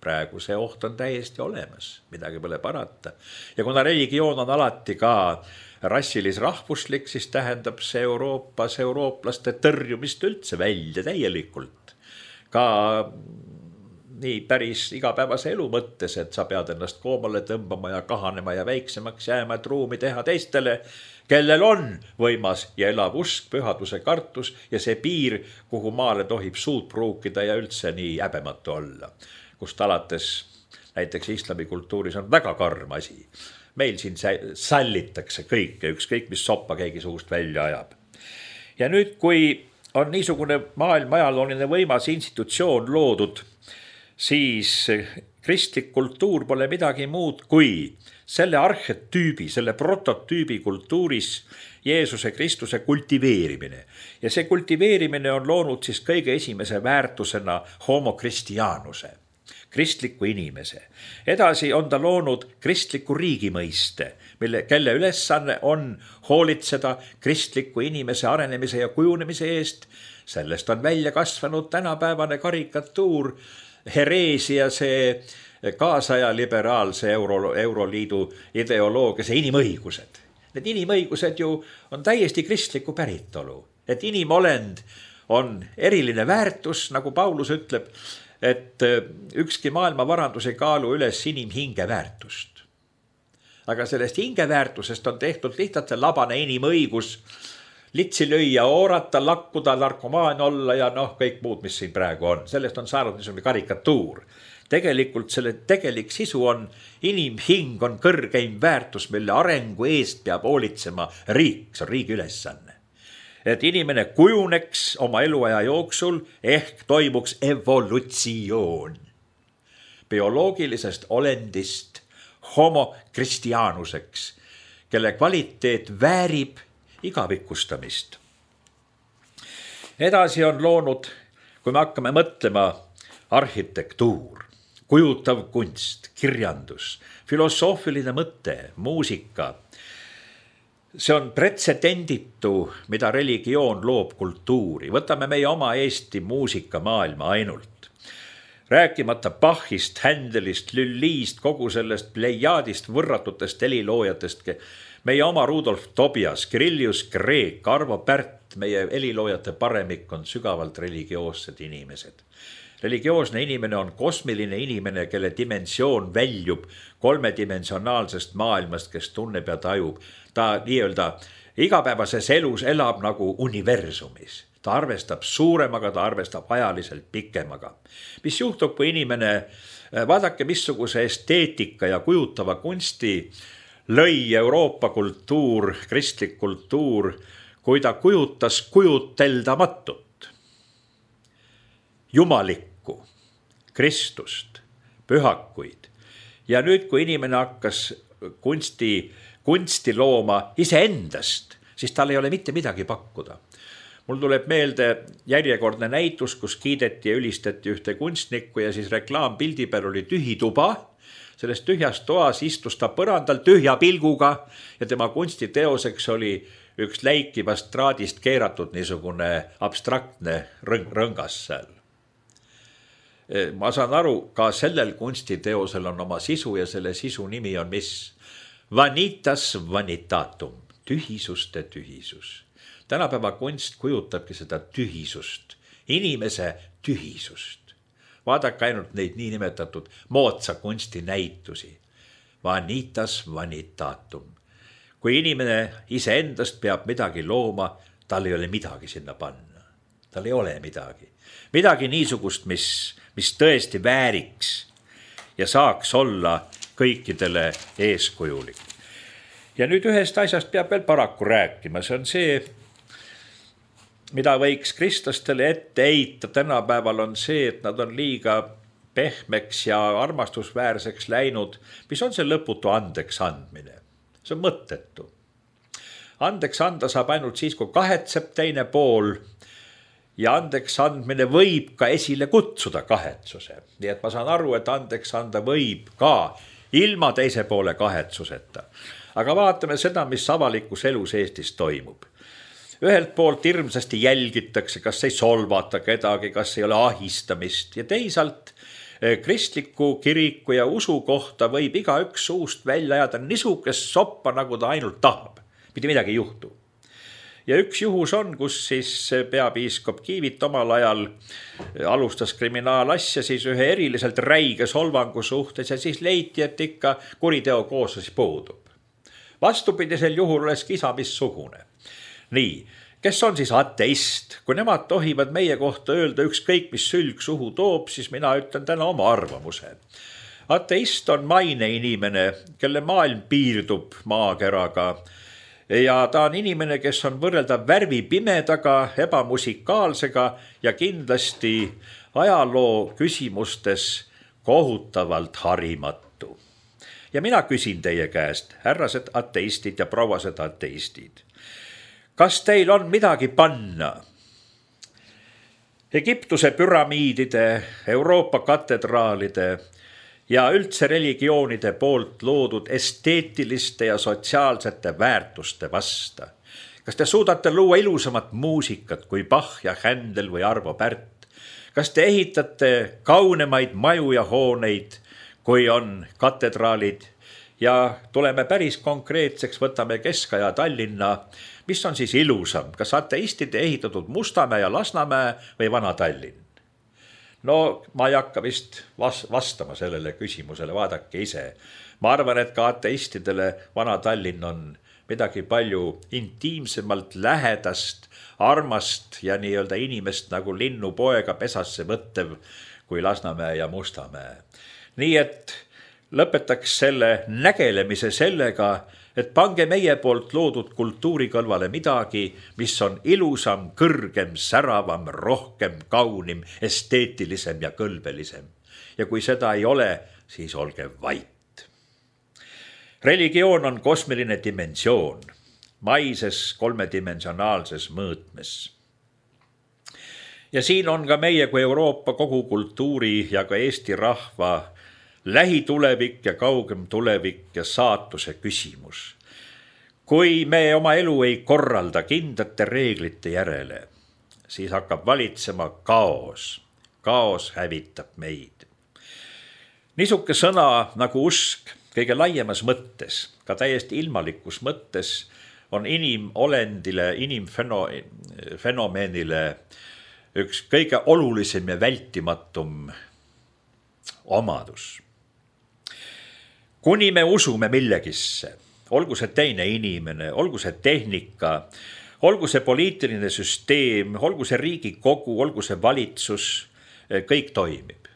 Praegu see oht on täiesti olemas, midagi pole parata. Ja kuna religioon on alati ka rassilis-rahvuslik, siis tähendab see Euroopas eurooplaste tõrjumist üldse välja täielikult. Ka nii päris igapäevase elu mõttes, et sa pead ennast koomale tõmbama ja kahanema ja väiksemaks jääma, et ruumi teha teistele, kellel on võimas ja elav usk, pühaduse kartus ja see piir, kuhu maale tohib suud pruukida ja üldse nii häbematu olla. Kust alates näiteks islamikultuuris on väga karm asi. Meil siin sallitakse kõike, ükskõik mis soppa keegi suust välja ajab. Ja nüüd, kui on niisugune maailma ajalooline võimas institutsioon loodud, siis kristlik kultuur pole midagi muud kui selle arhetüübi, selle prototüübi kultuuris Jeesuse Kristuse kultiveerimine. Ja see kultiveerimine on loonud siis kõige esimese väärtusena homo Christianuse, kristliku inimese. Edasi on ta loonud kristliku riigi mõiste, mille, kelle ülesanne on hoolitseda kristliku inimese arenemise ja kujunemise eest. Sellest on välja kasvanud tänapäevane karikatuur, hereesia, see kaasaja liberaalse Euro, Euroliidu ideoloogia, see inimõigused. Need inimõigused ju on täiesti kristliku päritolu. Et inimolend on eriline väärtus, nagu Paulus ütleb, et ükski maailma varandus ei kaalu üles inimhinge väärtust. Aga sellest hinge väärtusest on tehtud lihtsalt see labane inimõigus, litsi lüüa, oorata, lakkuda, narkomaan olla ja noh, kõik muud, mis siin praegu on. Sellest on saanud niisugune karikatuur. Tegelikult selle tegelik sisu on inimhing on kõrgeim väärtus, mille arengu eest peab hoolitsema riik, see on riigi ülesanne. Et inimene kujuneks oma eluaja jooksul ehk toimuks evolutsioon bioloogilisest olendist homo Christianuseks, kelle kvaliteet väärib igavikustamist. Edasi on loonud, kui me hakkame mõtlema, arhitektuur, kujutav kunst, kirjandus, filosoofiline mõte, muusika. See on pretsedenditu, mida religioon loob kultuuri. Võtame meie oma Eesti muusikamaailma ainult. Rääkimata Bachist, Händelist, Lülliist, kogu sellest plejaadist, võrratutest heliloojatest, meie oma Rudolf Tobias, Kirillius Kreek, Arvo Pärt, meie heliloojate paremik on sügavalt religioossed inimesed. Religioosne inimene on kosmiline inimene, kelle dimensioon väljub kolmedimensionaalsest maailmast, kes tunneb ja tajub. Ta nii-öelda igapäevases elus elab nagu universumis. Ta arvestab suuremaga, ta arvestab ajaliselt pikemaga. Mis juhtub, kui inimene, vaadake missuguse esteetika ja kujutava kunsti lõi Euroopa kultuur, kristlik kultuur, kui ta kujutas kujuteldamatut, jumalikku, Kristust, pühakuid. Ja nüüd, kui inimene hakkas kunsti, kunsti looma iseendast, siis tal ei ole mitte midagi pakkuda. Mul tuleb meelde järjekordne näitus, kus kiideti ja ülistati ühte kunstnikku ja siis reklaampildi peal oli tühi tuba. Selles tühjas toas istus ta põrandal tühja pilguga ja tema kunstiteoseks oli üks läikivast traadist keeratud niisugune abstraktne rõng, rõngas seal. Ma saan aru, ka sellel kunstiteosel on oma sisu ja selle sisu nimi on mis? Vanitas vanitatum, tühisuste tühisus. Tänapäeva kunst kujutabki seda tühisust, inimese tühisust. Vaadake ainult neid niinimetatud moodsa kunsti näitusi. Vanitas vanitatum. Kui inimene iseendast peab midagi looma, tal ei ole midagi sinna panna. Tal ei ole midagi. Midagi niisugust, mis, mis tõesti vääriks ja saaks olla kõikidele eeskujulik. Ja nüüd ühest asjast peab veel paraku rääkima. See on see, mida võiks kristlastele ette heita tänapäeval on see, et nad on liiga pehmeks ja armastusväärseks läinud, mis on see lõputu andeks andmine. See on mõttetu. Andeks anda saab ainult siis, kui kahetseb teine pool ja andeks andmine võib ka esile kutsuda kahetsuse. Nii et ma saan aru, et andeks anda võib ka ilma teise poole kahetsuseta. Aga vaatame seda, mis avalikus elus Eestis toimub. Ühelt poolt hirmsasti jälgitakse, kas ei solvata kedagi, kas ei ole ahistamist ja teisalt kristliku kiriku ja usu kohta võib iga üks suust välja ajada nisukest soppa, nagu ta ainult tahab. Mitte midagi ei juhtu. Ja üks juhus on, kus siis peapiiskop Kiivit omal ajal alustas kriminaalasja siis ühe eriliselt räige solvangu suhtes ja siis leiti, et ikka kuriteo kooslusi puudub. Vastupidisel juhul oleks kisa missugune. Nii, kes on siis ateist? Kui nemad tohivad meie kohta öelda ükskõik, mis sülg suhu toob, siis mina ütlen täna oma arvamuse. Ateist on maine inimene, kelle maailm piirdub maakeraga ja ta on inimene, kes on võrreldav värvi pimedaga, ebamusikaalsega ja kindlasti ajaloo küsimustes kohutavalt harimatu. Ja mina küsin teie käest, härrased ateistid ja prouased ateistid. Kas teil on midagi panna Egiptuse püramiidide, Euroopa katedraalide ja üldse religioonide poolt loodud esteetiliste ja sotsiaalsete väärtuste vasta? Kas te suudate luua ilusamat muusikat kui Bach ja Händel või Arvo Pärt? Kas te ehitate kaunemaid maju ja hooneid, kui on katedraalid? Ja tuleme päris konkreetseks, võtame Keskaja Tallinna. Mis on siis ilusam? Kas ateistide ehitatud Mustamäe ja Lasnamäe või Vana Tallinn? No ma ei hakka vist vastama sellele küsimusele, vaadake ise. Ma arvan, et ka ateistidele Vana Tallinn on midagi palju intiimsemalt lähedast, armast ja nii-öelda inimest nagu linnupoega pesasse võttev kui Lasnamäe ja Mustamäe. Nii et lõpetaks selle nägelemise sellega, et pange meie poolt loodud kultuuri kõlvale midagi, mis on ilusam, kõrgem, säravam, rohkem, kaunim, esteetilisem ja kõlbelisem. Ja kui seda ei ole, siis olge vait. Religioon on kosmiline dimensioon. maises kolmedimensionaalses mõõtmes. Ja siin on ka meie kui Euroopa kogu kultuuri ja ka Eesti rahva lähitulevik ja kaugem tulevik ja saatuse küsimus. Kui me oma elu ei korralda kindlate reeglite järele, siis hakkab valitsema kaos. Kaos hävitab meid. Niisuke sõna nagu usk kõige laiemas mõttes, ka täiesti ilmalikus mõttes, on inimolendile, inimfenomenile üks kõige olulisem ja vältimatum omadus. Kuni me usume millegisse, olgu see teine inimene, olgu see tehnika, olgu see poliitiline süsteem, olgu see Riigikogu, olgu see valitsus, kõik toimib.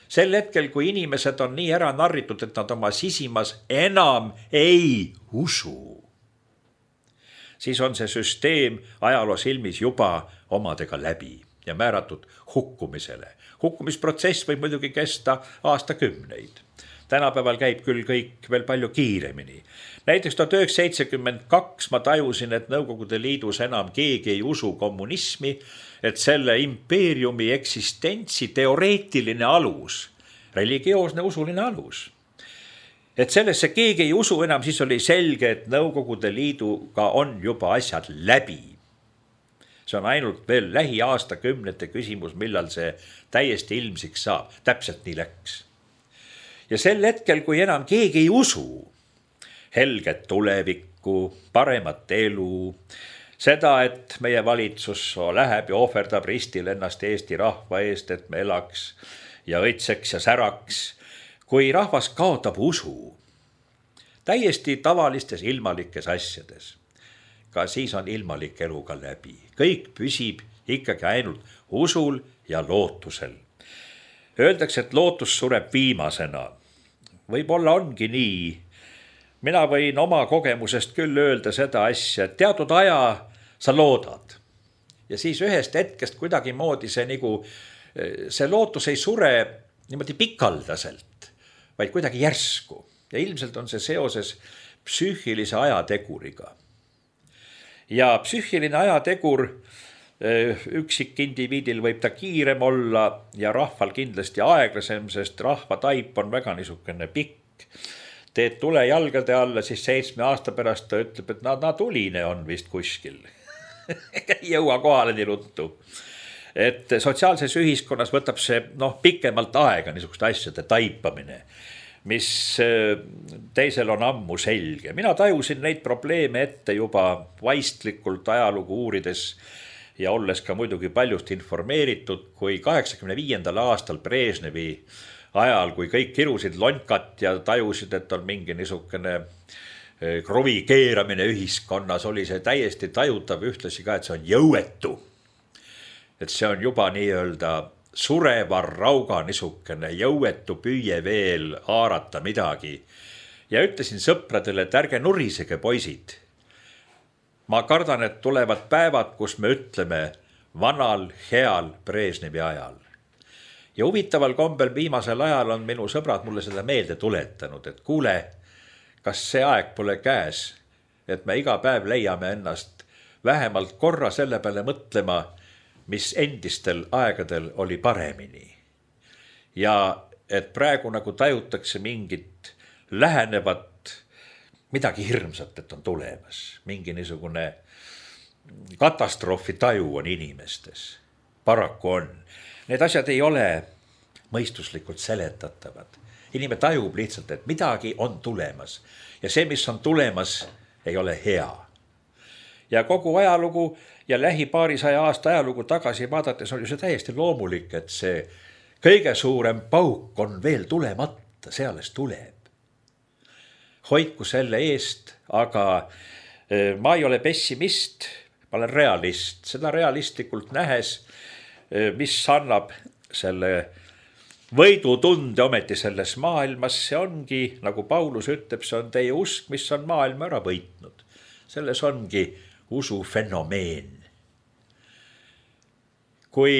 Sel hetkel, kui inimesed on nii ära narritud, et nad oma sisimas enam ei usu, siis on see süsteem ajaloo silmis juba omadega läbi ja määratud hukkumisele. Hukkumisprotsess võib muidugi kesta aastakümneid. Tänapäeval käib küll kõik veel palju kiiremini. Näiteks tuhat üheksasada seitsekümmend kaks ma tajusin, et Nõukogude Liidus enam keegi ei usu kommunismi, et selle impeeriumi eksistentsi teoreetiline alus, religioosne usuline alus. Et sellesse keegi ei usu enam, siis oli selge, et Nõukogude Liiduga on juba asjad läbi. See on ainult veel lähiaastakümnete küsimus, millal see täiesti ilmsiks saab. Täpselt nii läks. Ja sel hetkel, kui enam keegi ei usu helget tulevikku, paremat elu, seda, et meie valitsus läheb ja ohverdab ristil ennast Eesti rahva eest, et me elaks ja õitseks ja säraks, kui rahvas kaotab usu täiesti tavalistes ilmalikes asjades, ka siis on ilmalik elu ka läbi. Kõik püsib ikkagi ainult usul ja lootusel. Öeldakse, et lootus sureb viimasena. Võib-olla ongi nii. Mina võin oma kogemusest küll öelda seda asja, et teatud aja sa loodad. Ja siis ühest hetkest kuidagi moodi see, nagu, see lootus ei sure niimoodi pikaldaselt, vaid kuidagi järsku. Ja ilmselt on see seoses psüühilise ajateguriga. Ja psüühiline ajategur üksik indiviidil võib ta kiirem olla ja rahval kindlasti aeglasem, sest rahva taip on väga niisugune pikk. Teed tule jalgade alla, siis seitsme aasta pärast ta ütleb, et na, na tuline on vist kuskil. Ei jõua kohale nii ruttu. Et sotsiaalses ühiskonnas võtab see no, pikemalt aega niisugust asjade taipamine, mis teisel on ammu selge. Mina tajusin neid probleeme ette juba vaistlikult ajalugu uurides ja olles ka muidugi paljust informeeritud, kui kaheksakümne viiendal aastal Brežnevi ajal, kui kõik kirusid lonkat ja tajusid, et on mingi niisugune kruvi keeramine ühiskonnas, oli see täiesti tajutav ühtlasi ka, et see on jõuetu. Et see on juba nii-öelda sureva rauga niisugune jõuetu püüe veel haarata midagi. Ja ütlesin sõpradele, et ärge nurisege poisid. Ma kardan, et tulevad päevad, kus me ütleme vanal, heal Brežnevi ajal. Ja huvitaval kombel viimasel ajal on minu sõbrad mulle seda meelde tuletanud, et kuule, kas see aeg pole käes, et me iga päev leiame ennast vähemalt korra selle peale mõtlema, mis endistel aegadel oli paremini. Ja et praegu nagu tajutakse mingit lähenevat midagi hirmsat, et on tulemas. Mingi niisugune katastroofi taju on inimestes. Paraku on. Need asjad ei ole mõistuslikult seletatavad. Inimene tajub lihtsalt, et midagi on tulemas. Ja see, mis on tulemas, ei ole hea. Ja kogu ajalugu ja lähi paarisaja aasta ajalugu tagasi vaadates on ju see täiesti loomulik, et see kõige suurem pauk on veel tulemata, see alles tuleb. Hoidku selle eest, aga ma ei ole pessimist, ma olen realist. Seda realistlikult nähes, mis annab selle võidutunde ometi selles maailmas, see ongi, nagu Paulus ütleb, see on teie usk, mis on maailma ära võitnud. Selles ongi usu fenomeen. Kui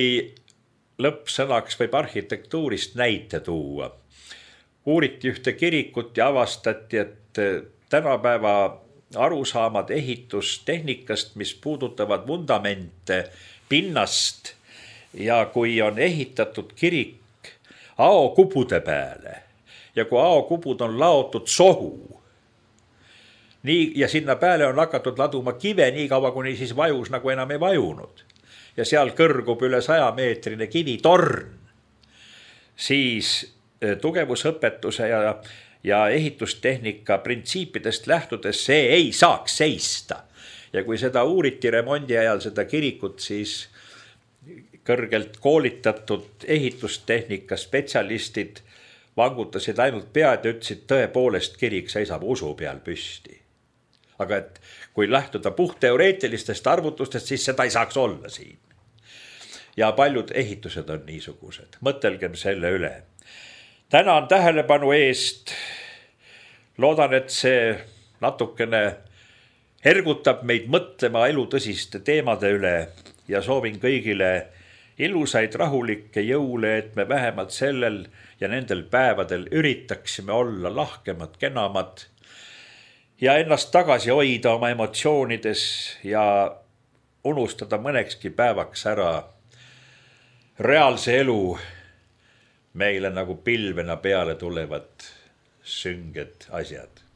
lõppsõnaks võib arhitektuurist näite tuua, uuriti ühte kirikut ja avastati, et tänapäeva arusaamad ehitustehnikast, mis puudutavad vundamente, pinnast ja kui on ehitatud kirik aokubude peale ja kui aokubud on laotud sohu, nii, ja sinna peale on hakatud laduma kive nii kaua, kuni siis vajus nagu enam ei vajunud ja seal kõrgub üle saja meetrine kivitorn, siis tugevusõpetuse ja, ja ehitustehnika printsiipidest lähtudes see ei saaks seista. Ja kui seda uuriti remondi ajal seda kirikut, siis kõrgelt koolitatud ehitustehnika spetsialistid vangutasid ainult pead ja ütlesid, tõepoolest kirik seisab usu peal püsti. Aga et kui lähtuda puhtteoreetilistest arvutustest, siis seda ei saaks olla siin. Ja paljud ehitused on niisugused. Mõtelgem selle üle. Tänan tähelepanu eest. Loodan, et see natukene ergutab meid mõtlema elu tõsiste teemade üle ja soovin kõigile ilusaid rahulikke jõule, et me vähemalt sellel ja nendel päevadel üritaksime olla lahkemad, kenamad ja ennast tagasi hoida oma emotsioonides ja unustada mõnekski päevaks ära reaalse elu meile nagu pilvena peale tulevad sünged asjad.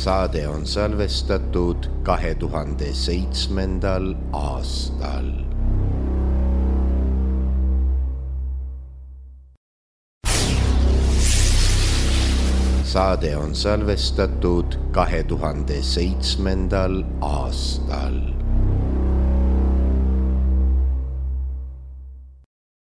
Saade on salvestatud kahe tuhande seitsmendal aastal. Saade on salvestatud kahe tuhande seitsmendal aastal.